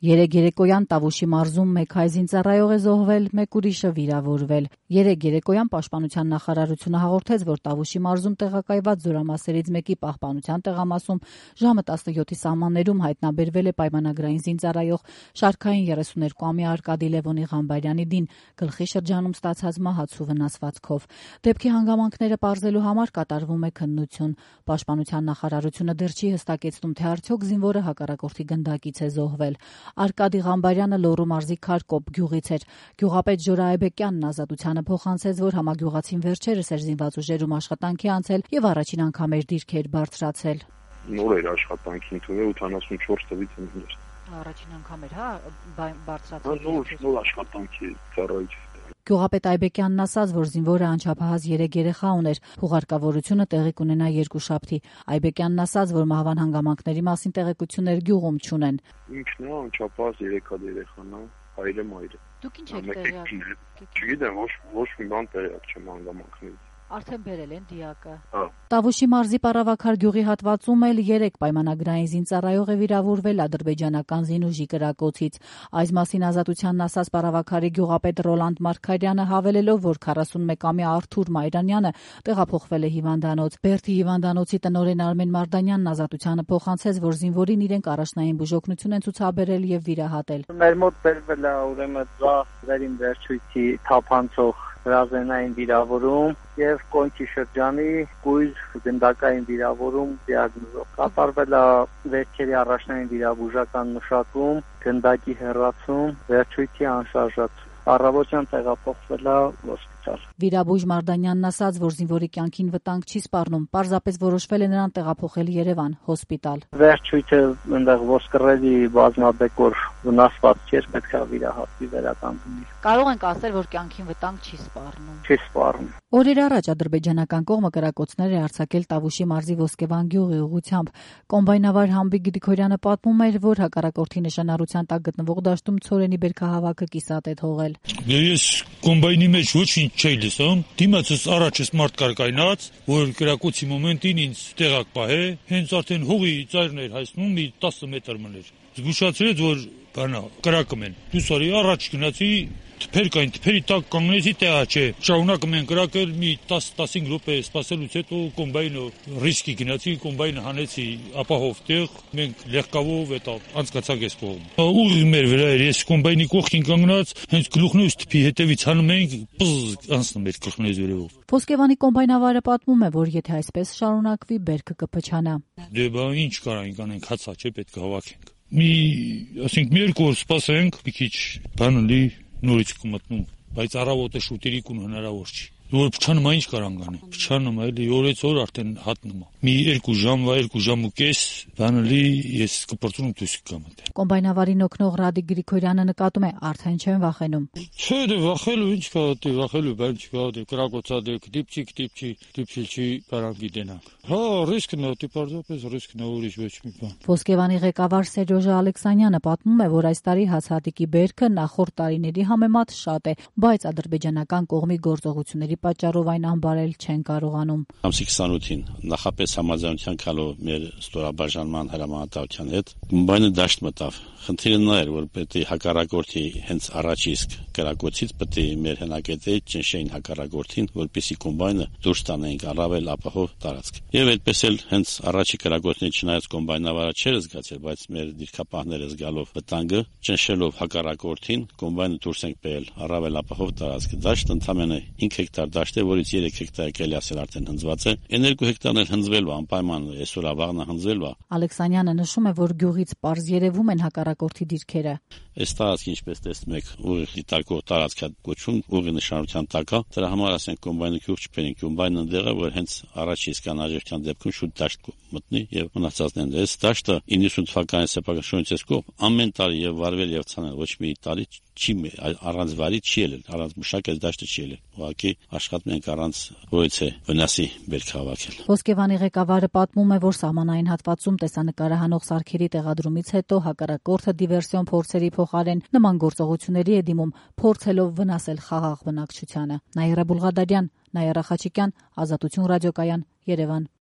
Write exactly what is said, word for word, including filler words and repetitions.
Երեկ երեկոյան Տավուշի մարզում մեկ հայ զինծառայող է զոհվել, մեկ ուրիշը վիրավորվել։ Երեկ երեկոյան Պաշտպանության նախարարությունը հաղորդեց, որ Տավուշի մարզում տեղակայված զորամասերից մեկի պահպանության տեղամասում ժամը տասնյոթի սահմաններում հայտնաբերվել է պայմանագրային զինծառայող շարքային երեսուներկուամյա Արկադի Լևոնի Ղամբարյանի դին գլխի շրջանում ստացած մահացու վնասվածքով։ Դեպքի հանգամանքները պարզելու համար կատարվում է քննություն։ Պաշտպանության նախարարությունը դեռ չի հստակեցնում, թե արդյոք զինվորը հակառակորդի գնդակից է զոհվել։ Արկադի Ղամբարյանը Լոռու մարզի Քարկոպ գյուղից էր։ Գյուղապետ Ժորա Այբեկյանն Ազատությանը փոխանցեց, որ համագյուղացին վերջերս էր զինված ուժերում աշխատանքի անցել եւ առաջին անգամ էր դիրքեր բարձրացել։ Նոր էր աշխատանքի ընդունել ութանասունչորս թվից ընդ։ Առաջին անգամ էր, հա, բարձրացել։ Նոր նոր աշխատանքի ծառայություն։ Գյուղապետ Այբեկյանն ասաց, որ զինվորը անչափահաս երեք երեխա ուներ, հուղարկավորությունը տեղի կունենա երկուշաբթի։ Այբեկյանն ասաց, որ մահվան հանգամանքների մասին տեղեկություններ գյուղում չունեն։ Ինքն է անչափահաս երեք երեխան է, հայրը մայրը։ Դուք ինչ եք տեղյակ։ Չգիտեմ, ոչ ոչ մի բան տեղյակ չեմ հանգամանքներից։ Արդեն բերել են դիակը։ Հա։ Տավուշի մարզի Պարավաքար գյուղի հատվածում էլ երեք պայմանագրային զինծառայող է վիրավորվել ադրբեջանական զինուժի կրակոցից։ Այս մասին Ազատությանն ասաց Պարավաքարի գյուղապետ Ռոլանդ Մարգարյանը, հավելելով, որ քառասունմեկամյա Արթուր Մայրանյանը տեղափոխվել է հիվանդանոց։ Բերդի հիվանդանոցի տնօրեն Արմեն Մարդանյանն Ազատությանը փոխանցեց, որ զինվորին իրենք առաջնային բուժօգնություն են ցուցաբերել եւ վիրահատել։ Մեր մոտ բերվել է ուրեմն ձախ վերին վերջույթի թափանցող հրազենային վիրավորում եւ կոնքի շրջանի կույր գնդակային վիրավորում դիագնոզով։ Կատարվել է վերջերի առաջնային վիրաբուժական մշակում, գնդակի հեռացում, վերջույթի անշարժացում։ Առավոտյան տեղափոխվել է հոսպիտալ։ Վիրաբույժ Մարդանյանն ասաց, որ զինվորի կյանքին վտանգ չի սպառնում, պարզապես որոշվել է նրան տեղափոխել Երևան հոսպիտալ։ Վերջույթը այնտեղ ոսկրելի բազմաբեկոր վնասված չէր, պետք է վիրահատվի վերականգնվի։ Կարող ենք ասել, որ կյանքին վտանգ չի սպառնում։ Չի սպառնում։ Օրեր առաջ ադրբեջանական կողմը կրակոցներ է արձակել Տավուշի մարզի Ոսկեվան գյուղի ուղղությամբ։ Կոմբայնավար Համբիկ Գրիգորյանը պատմում էր, որ հակառակորդի նշանառության տակ գտնվող դաշտում ցորենի բերքահավաքը կիսատ է թողել։ Ես կոմբայնի մեջ ոչինչ չէի լսում, դիմացս առաջս մարդ կար կայնած, որ կրակոցի մոմենտին ինձ տեղակ պահե, հենց արդեն հողի ծայրն էր հայցնում, մի տասը մետր մներ։ Զգուշացրեց, որ բանա կրակում են։ Դուսարի առաջ գնացի, թփեր կային, թփերի տակ կանգնեցի, տեղա չէ։ Շարունակում են կրակել, մի տասը-տասնհինգ րոպե սպասելուց հետո կոմբայնը ռիսկի գնացի, կոմբայնը հանեցի ապահով տեղ, մենք լեղկավով էտա անցկացանք այս կողմ։ Ուղիղ մեր վրա էր, ես կոմբայնի կողքին կանգնած, հենց գլուխներս թփի հետևից հանում էինք, պզզ անցնում էր գլուխներս վերևով։ Ոսկեվանի կոմբայնավարը պատմում է, որ եթե այսպես շարունակվի, բերքը կփչանա։ Դե բա ինչ կարանք անենք, հացա չէ, պետք է հավաքենք։ Մի, ասենք, մի երկու օր սպասենք, մի քիչ բանը լի նորից կմտնում, բայց առավոտը շուտերի կուն հնարավոր չի։ Որ փչանում ինչ կարան գանի։ Փչանում էլի օրից օր արդեն հատնում։ Մի երկու ժամվա, երկու ժամ ու կես, բանալի ես կպրծում դուրս կգամ այդտեղ։ Կոմբայնավարին օգնող Ռադիկ Գրիգորյանը նկատում է, արդեն չեն վախենում։ Չէ, դե վախելու ինչ կա, դե վախելու բան չկա, դե կրակոցադեք, դիպչի, դիպչի, դիպչիլչի կարան գիտենանք։ Հա, ռիսկն է, դե պարզապես ռիսկն է, ուրիշ ոչ մի բան։ Ոսկեվանի ղեկավար Սերժո Ալեքսանյանը պատմում է, որ այս տարի հացահատիկի բերքը նախորդ տարիների համեմատ շատ է, բայց ադրբեջանական կողմի գործողությունների պատճառով այն անբարել չեն կարողանում։ Ամսի քսանութին նախապես համաձայնության կալով մեր ստորաբաժանման հրամանատարության հետ կոմբայնը դաշտ մտավ։ Խնդիրը նա էր, որ պետք է հակառակորդի հենց առաջ իսկ կրակոցից պետք է մեր հնակետեի ճնշեին հակառակորդին, որպեսզի կոմբայնը դուրս տանեին առավել ապահով տարածք։ Եվ այդպես էլ հենց առաջի կրակոցների չնայած կոմբայնավարը չէր զգացել, բայց մեր դիրքապահները զգալով վտանգը, ճնշելով հակառակորդին, կոմբայնը դուրս ենք բերել առավել ապահով տարածք։ Դաշտը ընդամենը հինգ հեկտար դաշտ է, որից երեք հեկտար կելի ասել արդեն հնձված է։ Այն երկու հեկտարն էլ հնձվել է անպայման, այսօր ավաղնա հնձվել է։ Ալեքսանյանը նշում է, որ գյուղից պարզ երևում են հակառակորդի դիրքերը։ Այս տարածքը, ինչպես տեսնում եք, ուղիղ դիտարկող տարածք է կոչվում, ուղիղ նշանության տակ է։ Դրա համար ասենք կոմբայնը գյուղ չփերին, կոմբայնը ընդեղ է, որ հենց առաջ իսկ անհաջողության դեպքում շուտ դաշտ մտնի եւ մնացածն են։ Այս դաշտը իննսուն թվականի սեփական շրջանից կողմ ամեն տարի եւ վարվել եւ ցանել ոչ մի տարի չի առանց վարի չի ելել, առանց մշակ այս դաշտը չի ելել։ Ուղղակի աշխատում ենք առանց ոյցե վնասի բերք հավաքել։ Ոսկեվանի ղեկավարը պատմում է, որ սահմանային հատվածում տեսանկարահանող սարքերի տեղադրումից հետո հակառակորդը դիվերսիոն փորձերի փոխարեն նման գործողությունների է դիմում, փորձելով վնասել խաղաղ բնակչությանը։ Նաիրա Բուլղադարյան, Նաիրա Խաչիկյան, Ազատություն ռադիոկայան, Երևան։